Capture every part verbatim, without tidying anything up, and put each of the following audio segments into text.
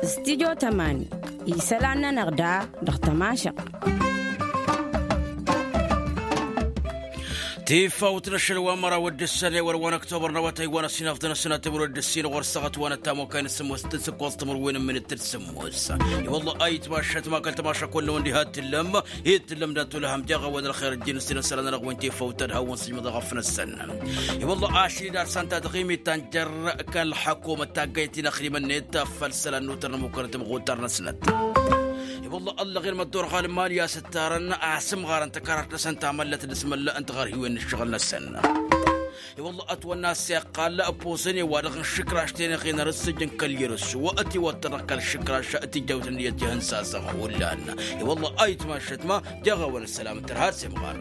Stidyo tămani isălan-nănăɣ da dăɣ-tămašăɣt. Tifawt n-ašăl wa n-măraw d-ǝssan i-wăr wa n-ăktobăr n-awătay wa n-ăsinafḍăn ăssinatămăr d-ǝssin ɣur-săɣăt wa n-ăttamokay n-sǝmmos d-sǝkkoẓ timǝrwen n-minit d-sǝmmos. I-wălla ayǝtmašăt ma kăl-tămašăk wălla wăn diha t-tǝllăm i-tǝllăm dat-olăhăm jaɣ-awăn ălxer ǝjjǝn ǝssin ăsălan-nănăɣ wen tifawt ad-hawăn sǝjmăḍ aɣăf-năsăn. I-wălla ašli d-ad-săn ta tăɣimit ta n-jer-kăl-ḥăkumăt taggayt-in ăxrimăn-net făll-isălan n-utăr n-ămmukănăt ămɣutăr-năsnăt. I-wălla ăllăɣen măddur ɣalman i-asǝttarăn asǝmɣarăn tăkarart-năsăn tamăllat d-asmălla n-tiɣărhiwen n-ǝššăɣǝl-năsăn. I-wălla ătwănna s-iqqal ăpposăn i-wa-dăɣ n-išǝkraš tenăɣen ar ǝssǝjǝn kăl-yărǝssu ătiwăttănăɣ kăl-išǝkraš tijjăwt n-iyyăt ihǝnsasăɣ hullan. I-wălla a itmašăt ma jaɣ-awăn ăssălam tărha s-imɣar.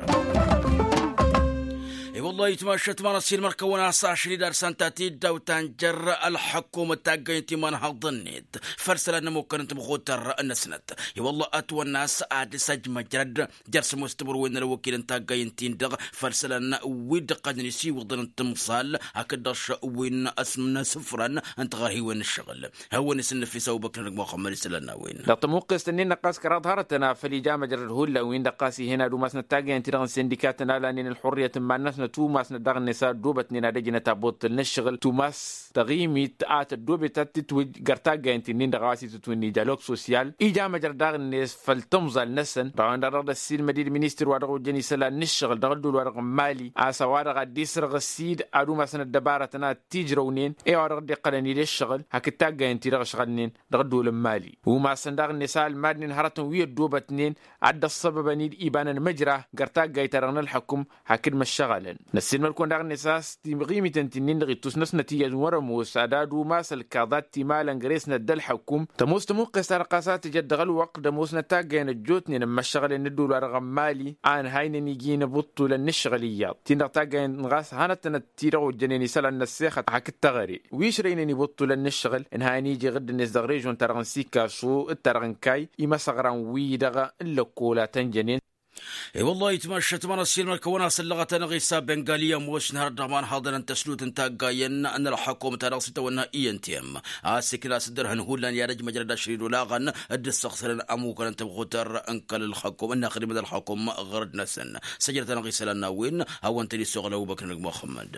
I-wălla a itmašăt ma n-ăssiilmăr kăwăn-as ašli d-ad-săn ta tiddawt ta n-jer-ălḥăkkumăt taggăyăn timanhaḍ-net făll-isălan n-ămukăn n-tămɣutăr-năsnăt. I-wălla ătwănna s-ad-dăr-s ăjmăjrăd jer-sămoos timǝrwen n-ălwăkil n-taggay ǝnta-in-dăɣ făll-isălan wi dd-ǝqqălnen isiwǝḍăn n-timẓal hakd-dăɣ wi n-asǝmnăsǝfrăn n-tiɣărhiwen n-ǝššăɣǝl. Hawăn-isǝnnǝfis ăbubăkr n-ăgg muxămmăd isălan n-a-wen. Dăɣ-tămuqqest-ǝnnin-năɣ ɣas kăraḍ hărătăn a făl ija măjrăd hullan-win-dăɣ ɣas ih'-en ad-umasnăt taggay ănti-dăɣ n-sindikatăn a lanen ălxurriyăt n-iman-năsnăt umasnăt daɣ-net a ăddoobătnen ad-ăjnăt abuṭṭǝl n-ǝššăɣǝl tumas tăɣimit a tăddoobet ad-tǝtwǝj găr taggay ǝnti-nin-dăɣ a-wa s-itǝtwǝnni dialog sosyal. Ija măjrăd daɣ-net făll-tǝmẓal-năsăn dăɣ-a-wen-dăɣ dăɣ-dd-ăssiilmăd-dd ministăr wa dăɣ-ojăn isălan n-ǝššăɣǝl dăɣ-ăddol wa dăɣ-n mali a-s a-wa-dăɣ ad-dd-isrăɣ ăssiid ad-umasăn ăddăbarătăn ad-t-ijrăwnen i-a-wa dăɣ-dd-iqqălăn-dd ǝššăɣǝl hakd taggay ǝnti-dăɣ ǝšɣălnen dăɣ-ăddol n-mali. Umasăn daɣ-net a ălmadnen hărătăn wi ăddoobătnen ad-dd-ăṣṣăbăbăn-dd iba n-ănmăjra găr taggayt-ta-dăɣ n-ălḥăkum hakd măššăɣălăn. Năssiilmăd-kăwăn daɣ-net a-s timɣimit ǝnta-nin-dăɣ ittus-năsnăt iyyăt n-wăr-ămoos ad-ad-umas ălkaḍat timalăn găre-snăt d-ălḥăkum tămoos tămuqqest-ta-dăɣ ɣas a tǝjăt dăɣ-ălwăqq d-ămoosnăt taggayăn ăjjootnen n-imăššăɣălen n-ădduul-wa-dăɣ n-mali a ǝnhaynen iji n-ibuṭṭulăn n-ǝššăɣǝl iyyăḍ ti-dăɣ taggayăn ɣas hanăt-tănăt-ti-dăɣ ojjănen isălan n-ăssexăt hakd teɣăre wi ǝšrăynen ibuṭṭulăn n-ǝššăɣǝl ǝnhayăn iji iɣǝdd-net dăɣ-režon-ta-dăɣ n-sikasu d-ta-dăɣ n-kay imăsăɣran-wi-dăɣ n-lăkkola tănjănen. I-wăllah itmašăt ma n-ăssiilmăr-kăwăn-as ăllăɣăt-anăɣ isa bengali ămoos n-hărăt dăɣ-imanhaḍăn n-tăslut n-taggayen n-ălxăkum ta dăɣ-s itawănna i n t m a-s ikna a-s dd-ărhăn hullan i-ad-ăj măjrăd ašrid olaɣăn dd-ǝssăɣsălăn ămukăn n-tămɣutăr n-kăl-ălxăkum ǝnnaxdimăd ălxăkum ɣărăd-năsăn. Săjdăt-anăɣ isălan n-a-wen hawăn-tăn-isuɣǝl ăbubăkr n-ăgg muxămmăd.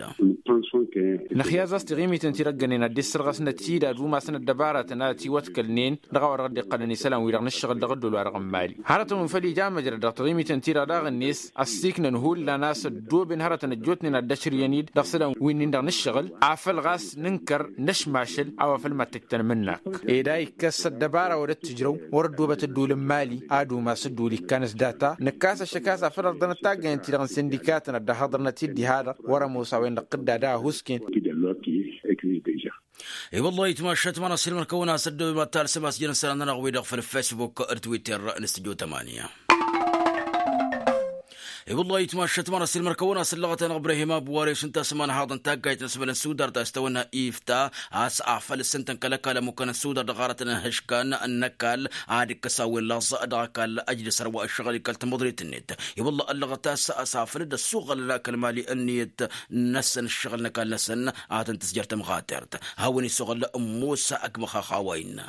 Năxyaẓ a-s tiɣimiten ti-dăgg-ănnen ad-dd-issărɣăsnăt-dd ad-umasnăt ăddăbarătăn a tiwătkălnen dăɣ-a-wa dăɣ-dd-iqqălăn isălan-wi-dăɣ n-ǝššăɣǝl dăɣ-ăddol-wa-dăɣ n-mali. Hărătăn wi făl ija măjrăd dăɣ-tiɣimiten-ti-dăɣ daɣ-net ăssiiknăn hullan a-s ăddooben hărătăn ăjjootnen ad-dd-ăšrǝyăn-dd dăɣ-isălan wi-nin-dăɣ n-ǝššăɣǝl afăl ɣas nǝnkăr năšmašăl a-wa făl mad-tăjj tanmǝnnak. Ed a ikkăs ăddăbara wa dd-tǝjrăw wăr-ăddoobăt ăddol n-mali ad-umas ăddol ikkan s-data nǝkkas ăššăk a-s afăl ărḍănăt taggayăn-ti-dăɣ n-sindikatăn ad-dd-ăhhăḍărnăt-dd diha-dăɣ wăr-ămoos a-wen-dăɣ tǝdda da ăhuusken. I-wăllah itmašăt ma n-ăssiilmăr-kăwăn a-s ăddooben ad-talsăm a-s jăn isălan-nănăɣ-wi-dăɣ făll-facebook d-twitter n-studio tămanya. I-wăllah itmašăt ma n-ăssiilmăr-kăwăn a-s ăllăɣăt-anăɣ ibrahim abu wares ǝnta a-s ămanhaḍ n-taggayt n-asmăl n-sudar ta s-tawănna ifta a-s afăl ǝssǝntăn kăl-ăkall ămmukăn n-sudar dăɣ-arătăn n-ihǝškan n-ăkall ad-ǝkkăs a-wen laẓ dăɣ-ăkall ăjdăs ărwa ǝššăɣǝl-i kăl-tamăḍrit-net. I-wăllah ăllăɣăt a-s afăl dd-ăssuɣălăn akăl mali ǝnniyăt-năsăn ǝššăɣǝl n-ăkall-năsăn ad-tăn-tǝzjăr tămɣatert. Hawăn-isuɣǝl musa ăgg măxaxa wa innă.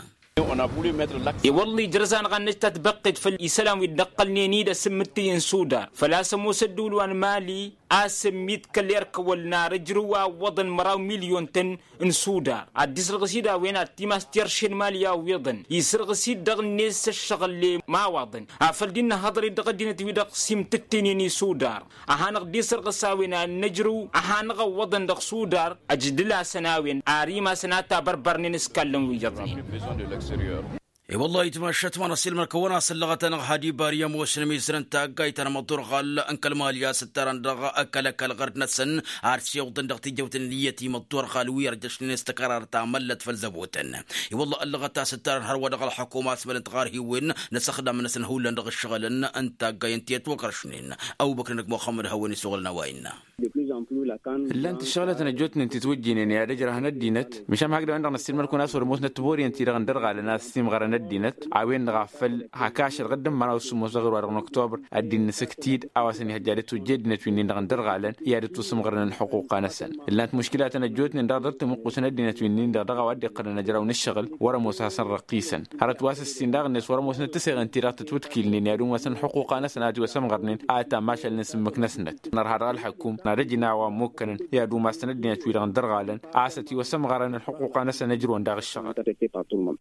I-wălla ijrăz-anăɣ ad-năj tatbăqqet făll-isălan wi dd-ăqqălnen-dd asǝmmǝttǝy n-sudar făl-a-s ămoos ădduul wa n-mali a-s ǝmmit kăl-erk ăwăl n-ar ǝjrǝw a ǝwwăḍăn măraw milyon-tăn n-sudar ad-dd-isrăɣǝs-dd a-wen ad-t-imas tirše n-mali a ǝwwiḍăn isrăɣǝs-dd dăɣ-net s-ǝššăɣǝl i-imawaḍăn. Afăl dd-innă hăḍăr-dd dăɣ-ăddinăt wi-dăɣ s-imtǝttǝynen i-sudar a hanăɣ-dd-isărɣǝs a-wen ad-nǝjrǝw a hanăɣ-ăwwăḍăn dăɣ-sudar. Ăjdǝl-asăn a-wen ar imasăn a tabărbărnen s-kallăn wi iyyăḍnen. I-wăllah itmašăt ma n-ăssiilmăr-kăwăn a-s ăllăɣăt-anăɣ hadi bari ămoosăn ămizăr n-taggayt ta n-amăḍḍur ɣal n-kăl-mali a-s ǝttarăn dăɣ-kăl-ăkall ɣărd-năsăn ar s-iwǝḍăn dăɣ-tijăwt n-ǝnniyăt i-măḍḍur ɣal wi ărjăšnen s-tăkărart tamăllăt făll-zăbotăn. I-wăllah ăllăɣăt a-s ǝttarăn hărwa dăɣ-ălxăkum asmăl n-tiɣarhiwen n-asăxdam-năsăn hullan dăɣ-ǝššăɣǝlăn n-taggayen ti ătwăkăršnen. Ăbubăkr n-ăgg muxămmăd hawăn-isuɣǝlăn a-wa innă. Ǝllan-t ǝššăɣǝlătăn ăjjootnen ti twǝjjinen i-ad-ǝjrăhăn ăddinăt măšan hakd a-wen-dăɣ năssiilmăd-kăwăn a-s wăr-ămoosnăt tiboriyen-ti-dăɣ ǝndărɣalăn a-s simɣărăn. ăddinăt a-wen-dăɣ a făl hak ašăl ɣǝddǝmmăra usǝmmos dăɣ-ewăr wa dăɣ-năktobăr. Ăddin n-asǝktid a-wa s-ănihăjja ad-ătwǝjja ăddinăt wi-nin-dăɣ n-dărɣalăn i-ad-ătwǝsǝmɣărăn ălxuquqa-năsăn. Ǝllan-t muškilatăn ăjjootnen dăɣ-dăr-timǝqqusăn ăddinăt wi-nin-dăɣ dăɣ-a-wa dd-iqqălăn ăjraw n-ǝššăɣǝl wăr-ămoos a hasăn-răqqisăn. Hărăt wa s-ǝssin daɣ-net wăr-ămoosnăt tisăyɣen-ti-dăɣ tătwǝtkilnen i-ad-umasăn ălxuquqa-năsăn a tiwăsămɣărnen a tamašal n-asǝmmǝk-năsnăt. Nărha dăɣ-ălxăkum n-ad-ăj n-a-wa ămmukkănăn i-ad-umasăn ăddinăt-wi-dăɣ n-dărɣalăn a-s ătiwăsămɣărăn ălxuquqa-năsăn ăjrăwăn daɣ ǝššăɣǝl.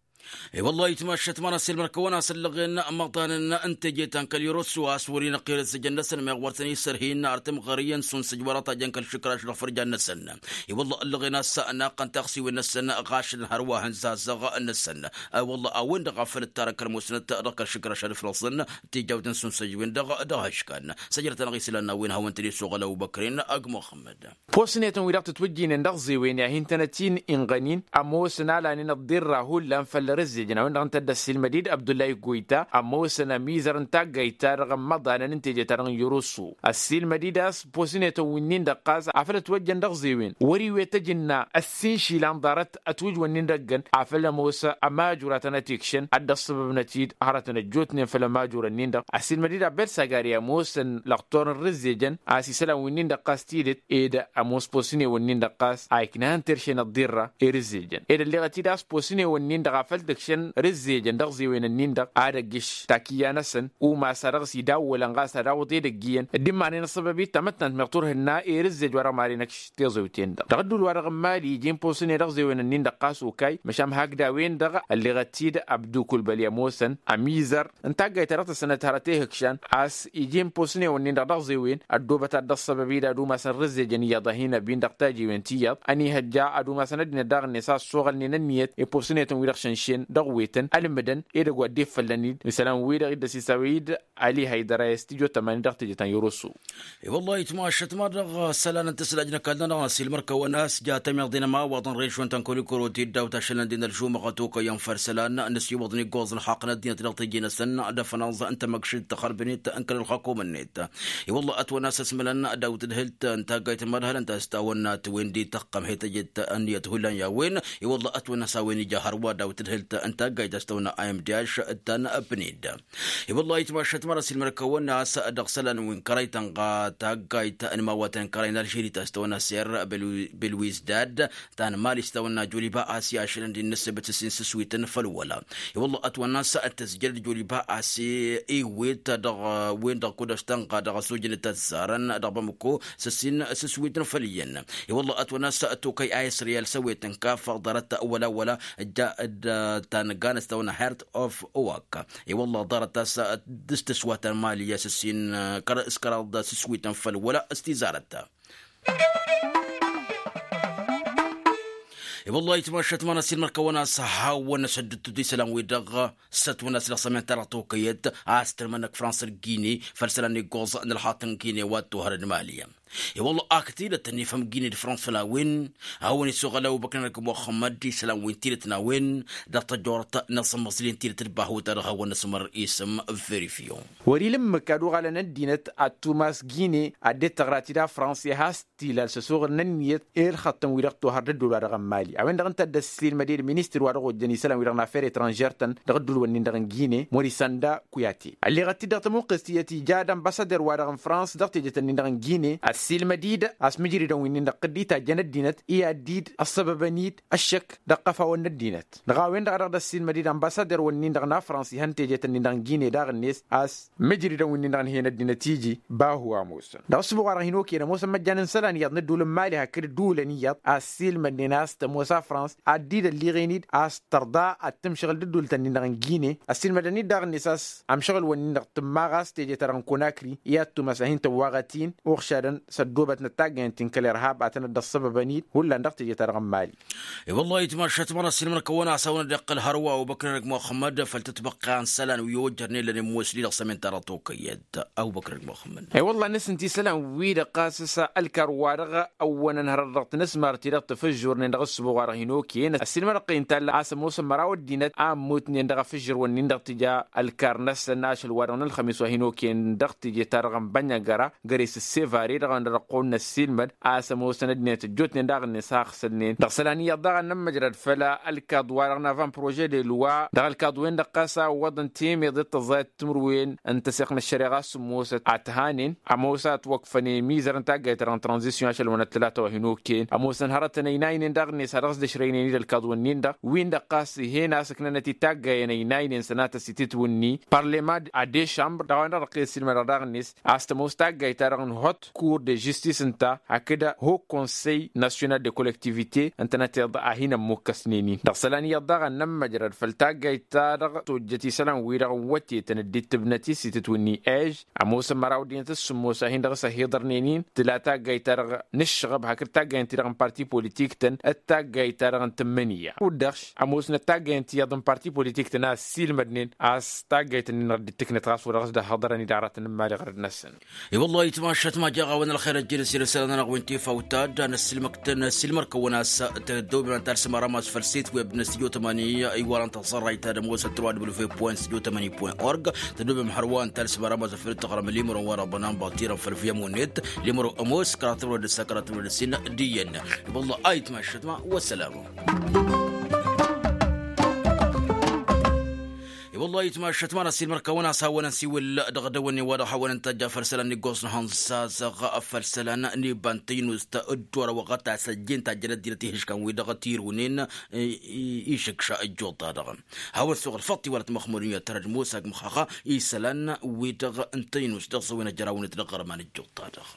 I-wălla itmašăt măra s-ilmăr-kăwăn-as ǝllăɣen măḍanăn n-teje ta n-kăl-irosu a-s wăr-inăqqel ǝzzǝjăn-năsăn meɣ wăr tăn-isărhin ar timɣăriyyăn s-unsǝj wăr-ătajăn kăl-išǝkraš dăɣ-fărjan-năsăn. I-wălla ǝllăɣen a-s naqqăn taɣsiwen-năsăn ɣašălăn hărwa hăn zazăɣ-năsăn. I-wălla a-wen-dăɣ a făl ǝttarăn kăl-musnăt dăɣ-kăl-išǝkraš ad-ǝflăẓăn tijawt n-sunsăj-wen-dăɣ dăɣ-ăškan săjrăt-anăɣ isălan n-a-wen hawăn-tăn-issoɣăl ăbubăkren ăgg muxămmăd. Posnetăn-wi-dăɣ tǝtwǝjjinen dăɣ-zewen i-ad-hin-tăn-ătinɣănin ămoosăn a lanen ăḍḍirra hullan făll-răzzejăn a-wen-dăɣ ǝnta dd-ăssiilmăd-dd abdullahi goyta ămoosăn ămizăr n-taggayt-ta-dăɣ n-imăḍanăn n-teje-ta-dăɣ n-irusu. Ăssiilmăd-dd a-s posnetăn wi-nin-dăɣ ɣas afăl ătwăjjăn dăɣ-zewen wăr iwet ăjǝnna ăssiinšil a ǝnḍarăt ătwǝjwăn-nin-dăɣ ǝggăn afăl ămoos ămajur a tăn-ătikšăn ad-dd-ăṣṣăbăbnăt-dd hărătăn ăjjootnen făll-ămajurăn-nin-dăɣ. Ăssiilmăd-dd abbel sagari ămoosăn lăqtor n-rǝzzejăn a-s isălan wi-nin-dăɣ ɣas tidǝt ed ămoos posǝnewăn-nin-dăɣ ɣas a iknăhăn terše n-ăḍḍirra i-rǝzzejăn ed ălleɣăt-dd a-s posǝnewăn-nin-dăɣ afăl tǝkšăn rǝzzejăn dăɣ-zewen-ǝnnin-dăɣ ad-ăggǝš takǝyya-năsăn umas a dăɣ-s idawwălăn ɣas ad-awǝḍ edăgg iyyăn dd-imanen ăṣṣăbăb-i d tamăttant meɣ turhǝnna i-rǝzzej wa dăɣ-maren ăkš tiẓewten-dăɣ dăɣ-ădduul-wa-dăɣ n-mali iji n-posǝne dăɣ-zewen-ǝnnin-dăɣ ɣas okay măšan hakd a-wen-dăɣ ălleɣăt-dd abdukul băli ămoosăn ămizăr n-taggayt ta dăɣ-tăssănăt hărăt ehǝkšan a-s iji n-posǝnewăn-nin-dăɣ dăɣ-zewen ăddoobăt ad-dd-ăṣṣăbăb-dd ad-umasăn rǝzzejăn iyyăḍ a hin-ăbin dăɣ-tajiwen ti iyyăḍ ănihăjja ad-umasăn ăddinăt daɣ-net a ăṣṣoɣălnen ǝnniyăt i-posǝnetăn-wi-dăɣ šănšen dăɣ-wetăn ălmǝdăn edăgg wa dd-iffăllăn-dd isălan-wi-dăɣ dd-ăsisawăy-dd ali haydăra i-studyo tămani dăɣ-teje ta n-irusu. I-wăllah itmašăt ma-dăɣ isălan n-tǝslajnăk a-dd-nănăɣ n-asilmăr-kăwăn a-s ja tămiḍe n-ămawaḍ n-režyon ta n-kăwăn-ikăro ti dd-awt ašălăn d-inălžumăɣăt okăyăn făll-isălan n-ăswăḍăn iggoẓ ǝlxaqq n-ăddinăt dăɣ-teje-năsăn d-afănaẓ n-tamăkšit tăxărbănet n-kăl-ălxakum-net. I-wăllah ătwănna a-s ăsmălăn d-awǝtǝdhǝlt n-taggayt n-imărhălăn ta s-tawănna tiwen d-ităqqăm hetăjet n-iyyăt hullan i-a-wen. I-wăllah ătwănna a-s a-wen ija hărwa d-awǝtǝdhǝlt n-taggayt ta s-tawănna a m d h d-tanăpned. I-wăllah itmašăt măra s-ilmăr-kăwăn a-s dăɣ-isălan wi n-kărăy tănɣa taggayt n-imawatăn n-kărăy n-alžeri ta s-tawănna ser belwizdad ta n-mali s-tawănna joliba a-s i-ašălăn d-innăsebăt s-in s-swităn făll-wăla. I-wăllah ătwănna a-s tăzjăr d-joliba a-s iwet dăɣ-wen-dăɣ kud-ăš tănɣa dăɣ-ăsujăn tăzzarăn dăɣ-bamăko s-ăssin s-ăswităn făll-iyyăn. I-wălla ătwănna a-s tokăy a isriyal s-ăwet n-kaf ḍarăt wăla wăla. Dd-ta n-ganăs tawănna heart of owak. I-wălla ḍarăt a-s d-s-tǝswatăn mali a-s ăssin s-kăraḍ s-ăswităn făll-wăla s-tizarăt. I-wălla itmašăt ma n-ăsilmăr-kăwăn a-s hawăn-năsăddǝtut isălan-wi-dăɣ s-ătwănna a-s dăɣ-sămenta dăɣ-tokăyăt a-s tǝlmănăk frans d-gine făll-isălan iggoẓ n-ălxaṭṭ n-gine wa t-ohărăn mali. I-wălla ak tidăt ănifăm gine d-frans făll-a-wen. Hawăn-isuɣăl ăbubăkr n-ălkămoxămăd isălan wi n-tidăt n-a-wen dăɣ-tăjjorăt n-asǝmmăẓǝl-i n-tidăt d-bahu-ta-dăɣ hawăn-năsmăr isǝm verifyon. Wăr-ila ǝmmǝk ad-uɣalăn ăddinăt ad-tumas gine ad-dd-tăɣra tida frans i-has tilal s-ăsuɣǝl n-ǝnniyăt i-ǝlxăṭṭăn-wi-dăɣ tohăr d-ădduul-wa-dăɣ n-mali a-wen-dăɣ ǝnta a dd-ăssiilmăd-dd ministăr-wa-dăɣ ojjăn isălan-wi-dăɣ n-affer etranžer-tăn dăɣ-ădduul-wǝnnin-dăɣ n-gine morisanda kuyate. Ălleɣăt-dd dăɣ-tămuqqest tiyyăt ija d-ănbassader-wa-dăɣ n-frans dăɣ-tejet-ǝnnin-dăɣ n-gine ăssiilmăd-dd a-s mǝjridăn wi-nin-dăɣ tǝddit a jăn ăddinăt i-ad-dd-ăssăbăbăn-dd ăššăk dăɣ-iqăfawăn n-ăddinăt. Dăɣ-a-wen-dăɣ a dăɣ-dd-ăssiilmăd-dd ănbassader-wǝnnin-dăɣ n-afrans ihăn tejet-ǝnnin-dăɣ n-gine daɣ-net a-s mǝjridăn wi-nin-dăɣ ǝnhăyăn ăddinăt iji bahu a ămoosăn dăɣ-ǝssǝbuɣ-wa-dăɣ hin-okăyăn ămoosăn măjjan n-isălan iyyăḍ n-ădduul n-mali hakd ădduulăn iyyăḍ a ăssiilmădnen a-s tămoos afrans ad-dd-ălliɣen-dd a-s tărḍa ad-tǝmšăɣǝl d-ădduultăn-nin-dăɣ n-gine. Ăssiilmădăn-dd daɣ-net a-s ămšăɣǝl-wǝnnin-dăɣ tǝmmaɣ a-s teje-ta-dăɣ n-konakri i-ad-tumas a hin-tăwwaɣăt-in uɣšadăn s-ăddoobătnăt taggăyăn ti n-kăl-irhab a tănăt-dd-ăṣṣăbăbăn-dd hullan dăɣ-teje-ta-dăɣ n-mali. I-wăllah itmašat măra s-ilmăr-kăwăn a-s hawăn-dd-iqqăl hărwa ubăkr n-ăgg-muxămmăd făll-tătbăqqa n-isălan wi ojărnen lănen musli dăɣ-sămenta dăɣ-tokăyăt. Abubăkr ăgg-muxămmăd. I-wăllah năsnăt isălan-wi-dăɣ ɣas s-ălkar-wa-dăɣ ăwwănăn hărăt dăɣ-tnăsmart ti-dăɣ tǝfǝžžurnen dăɣ-ǝssǝbuɣ-wa-dăɣ hin-okăyăn ăssiilmădăɣ-t intall a-s ămoosăn măraw ăddinăt a ămmutnen dăɣ-afǝžžǝr-wǝnnin-dăɣ tija ălkar-năsăn ašăl-wa-dăɣ n-ălxămis wa hin-okăyăn dăɣ-teje-ta-dăɣ n-bănăgăra găre s-ăssevare dăɣ Ăndăr ăqqoon n-ăssiilmăd a-s ămoosăn ăddinăt ăjjootnen daɣ-net a ăɣsălnen dăɣ-isălan iyyăḍ daɣ ănnămmăjrăd făll-ălkaḍ-wa-dăɣ n-avant projet de loi dăɣ-ălkaḍ-wen-dăɣ ɣas a ǝwwăḍăn temeḍe d-tăẓẓayăt timǝrwen n-tăseɣt n-ăššăreɣa s-ămoosăt ad-t-hanen ămoos a ătwăkfăn i-mizăr n-taggayt-ta-dăɣ n-tranzisyon ašăl wa n-ătlăta wa hin-okăyăn ămoosăn hărătăn ăynaynen daɣ-net a dăɣ-s dăšrăynen-dd ălkaḍ-wǝnnin-dăɣ win-dăɣ ɣas ih'-en a-s ǝknănăt-dd taggayăn ăynaynen sănatăs i-titwǝnni parlema d-adešambr dăɣ-a-wen-dăɣ dăɣ-kăy-ăssiilmădăɣ daɣ-net a-s tămoos taggayt-ta-dăɣ n-hot kur de žistis ǝnta hakd ho konsey nasyonal de kollektivite ǝntănăteḍ a hin-ămmukkăsnen-in dăɣ-isălan iyyăḍ daɣ ănnămmăjrăd făll-taggayt-ta-dăɣ tojjăt isălan-wi-dăɣ n-wătetăn dd-ittǝbnăt i-sitǝtwǝnni ež ămoosăn măraw ăddinăt s-sǝmmos a hin-dăɣ s-ăhiḍărnen-in tǝla taggayt-ta-dăɣ n-ǝššăɣăb hakd taggayt-ti-dăɣ n-parti politik-tăn d-taggayt-ta-dăɣ n-tǝmmǝnǝya kud-dăɣ ămoosnăt taggayt-ti-dăɣ n-parti politik-tăn a ăssiilmădnen a-s taggayt-nin dăɣ-dd-tǝknăt ɣas wa dăɣ-s dd-ăhhăḍărăn-dd aratăn n-imali ɣărăd-năsăn. I-wăllah itmašat ma jaɣ-awăn ălxer ăjjeen s-ere isălan-anăɣ wi n-tifawt ta dd-anăssilmăr-kăwăn a-s tăddăwben ad-talsăm aramaz făll-sit web n-studio tămani iwalăn taẓărrayt ta d-ămoosăt trois w point studio tămani point org. Tăddăwben hărwa ad-talsăm aramaz făll-tăɣrăm limărăn wa dăɣ-bănan batirăn făll-via munet limărăn ămoos kăratăwăn d-ǝssa kăratăwăn d-ǝssin d-iyyăn. I-wăllah ayǝtmašat ma wăssălam. I-wăllah itmašat ma n-ăssiilmăr-kăwăn a-s hawăn-ănsiwǝl dăɣ-dăwănne wa dăɣ-hawăn-ăntajja făll-isălan n-iggoẓ n-ihănzazăɣ făll-isălan n-iba n-tăynust dd-orăwăɣăt a-s ăjjeen tajjăn ăddinăt ihǝškan-wi-dăɣ tirunen išǝkša ăjjuḍ-ta-dăɣ. Hawăn-suɣǝl făṭṭ iwalăt măxmud n-iyyăt tărăd musa g-măxaxa isălan-wi-dăɣ n-tăynust dăɣ-s a-wen ăjrawnet dăɣ-iɣărman ăjjuḍ-ta-dăɣ.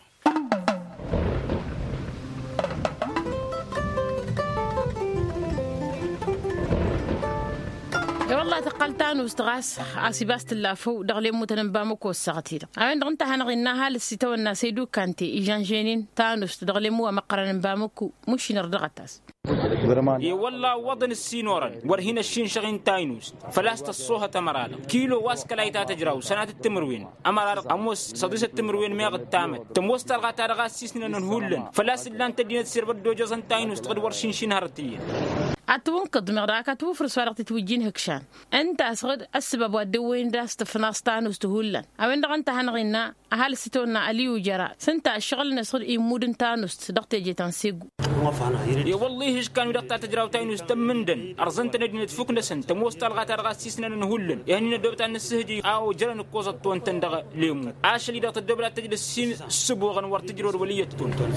I-wălla tăqqăl tanust ɣas a-s ibas tǝlla făw dăɣ-lemutăn n-bamăko ăssaɣăt-i-dăɣ a-wen-dăɣ ǝnta a hanăɣ-innă ăhalǝs itawănna săydukante ižănžăynen tanust dăɣ-lemu wa măqqărăn n-bamăko. Mušin ărdăɣăt-as. I-wălla ǝwwăḍăn ǝssin orăn wăr hin-ăššinšăɣ-in taynust făl-a-s tăṣṣohăt ămăra-dăɣ kilo wa s-kăla itatăjraw sănatăt timǝrwen ămăra-dăɣ ămoos săḍisăt timǝrwen meɣ ǝttamăt tămoos talɣa-ta-dăɣ a ăssiisnănăn hullan făl-a-s ǝllan-t ăddinăt s-irbăt d-ojăẓăn taynust dăɣ-dd-wăr šinšin hărăt iyyăn. Ad-tǝwǝnkǝḍ meɣ dăɣ-ak ad-tǝwǝfrǝs wa dăɣ-titwǝjjin hǝkšan ǝnta a-s ɣǝd ăssăbab wa dd-ăwwăyăn d-a-s tǝfnaẓ tanust hullan a-wen-dăɣ ǝnta a hanăɣ-innă ăhalǝs itawănna ăliyu jăra s-ǝnta ăššăɣǝl-năsăn immud n-tanust dăɣ-teje ta n-segu. I-wălla ihǝškan-wi-dăɣ ta tǝjraw taynust ămmǝndăn ărẓăn-tăn ăddinăt fukk-năsăn tămoos talɣa-ta-dăɣ a ăssiisnănăn hullan ihănnin ăddoobăt ad-nǝssǝhǝj a ojărăn ǝkkoẓăt tawăn-tăn dăɣ-lemu ašăl-i-dăɣ tăddoobăt ad-tǝjǝd ǝssin ǝssǝboɣăn wăr tǝjrăwăd wăl' iyyăt tawăn-tăn.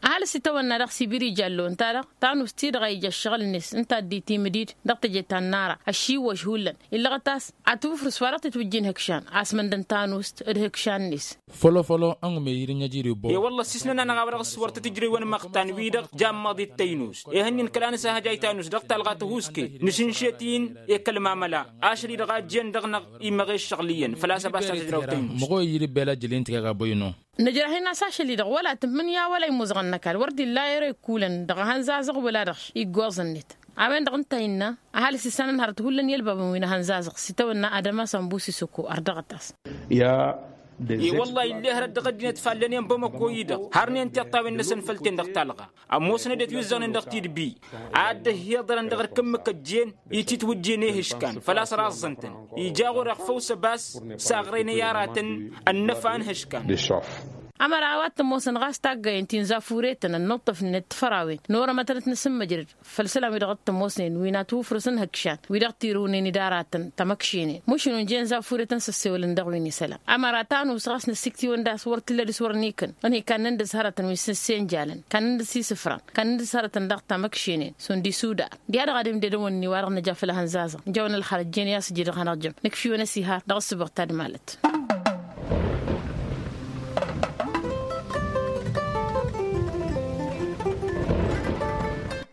Ăhalǝs itawănna dăɣ-sibiri jallo ǝnta-dăɣ tanust-ti-dăɣ a ija ăššăɣǝl-net ǝnta a dd-itimǝd-dd dăɣ-teje ta n-nara ăššiwwăš hullan illăɣăt a-s ad-tǝwǝfrǝs wa dăɣ-titwǝjjin hǝkšan a-s măndăn tanust d-hǝkšan-net. Fălăfălăw ănmăyăr n-ajrǝw băw. I-wălla ăssiisnăn-anăɣ a-wa dăɣ-s wăr tăt-ǝjrewăn imăqtan-wi-dăɣ jammăḍ i-tăynust ihănnin kăla nǝsahăjay tanust dăɣ-talɣa tăhuusket nǝšǝnšet-in i-kăl-mamăla ašăl-i-dăɣ a ǝjjen dăɣ-năɣ imăɣe ǝššăɣǝl iyyăn făl-a-s ăbas ta tǝjraw taynust. Măɣo i-iri ăbbel ajjăl-i n-tǝkăga băyno. Nǝjrăh-in a-s ašăl-i-dăɣ wăla tǝmmǝnǝya wăla imuzăɣăn n-ăkall wăr dd-illa ere ikulăn dăɣ-ehăn zazăɣ wăla dăɣ-š iggoẓ-net. A-wen-dăɣ ǝnta a innă ăhalǝs isănăn hărăt hullan i-ălbabăn wi n-ehăn zazăɣ s-itawănna adăma sănbus isǝkko ărdăɣăt-as. I-wălla-hi illa hărăt dăɣ-ăddinăt fallănen bamăko-i-dăɣ hărnen tiṭṭawen-năsăn făll-ten dăɣ-talɣa ămoosăn ăddinăt wi ǝzzăɣnen dăɣ-tidbi ad-dd-ăhhiḍărăn dăɣ-erk ǝmmǝk ăjjeen i-titwǝjjen i-ihǝškan făl-a-s raẓẓăn-tăn ija ɣur-eɣ făw s-ăbas s-aɣrăynăy aratăn ănnăfa n-ihǝškan. Ămăra a-wa t-ămoosăn ɣas taggayen ti n-zafuretăn ănnuṭṭăfnen d-tifărawen n-orămătăn ad-t-nǝsǝmmăjrăd făll-isălan wi dăɣ-t-ămoosnen wi n-ad-t-wǝfrǝsăn ihǝkšan wi dăɣ-tirǝwnen d-aratăn tamăkšenen mušǝn unjen zafuretăn s-ăssewălăn dăɣ-wi n-isălan. Ămăra tanus ɣas năsiktǝwăn d-a-s wăr t-illa dăr-s wăr n-ikǝn ănhǝy kannăn dăr-s hărătăn wi s-nǝssenjalăn kannăn dăr-s isǝfran kannăn dăr-s hărătăn daɣ tamăkšenen šund isudar. Diha-dăɣ ad-imded ăwănni-wa-dăɣ nǝja făll-ehăn zazăɣ ǝjawăn ălxărăt jen i-a-s ǝjǝy dăɣ-hanăɣ-jăm nǝkšǝwăn ăsihar dăɣ-ǝssǝboɣ tadmalăt.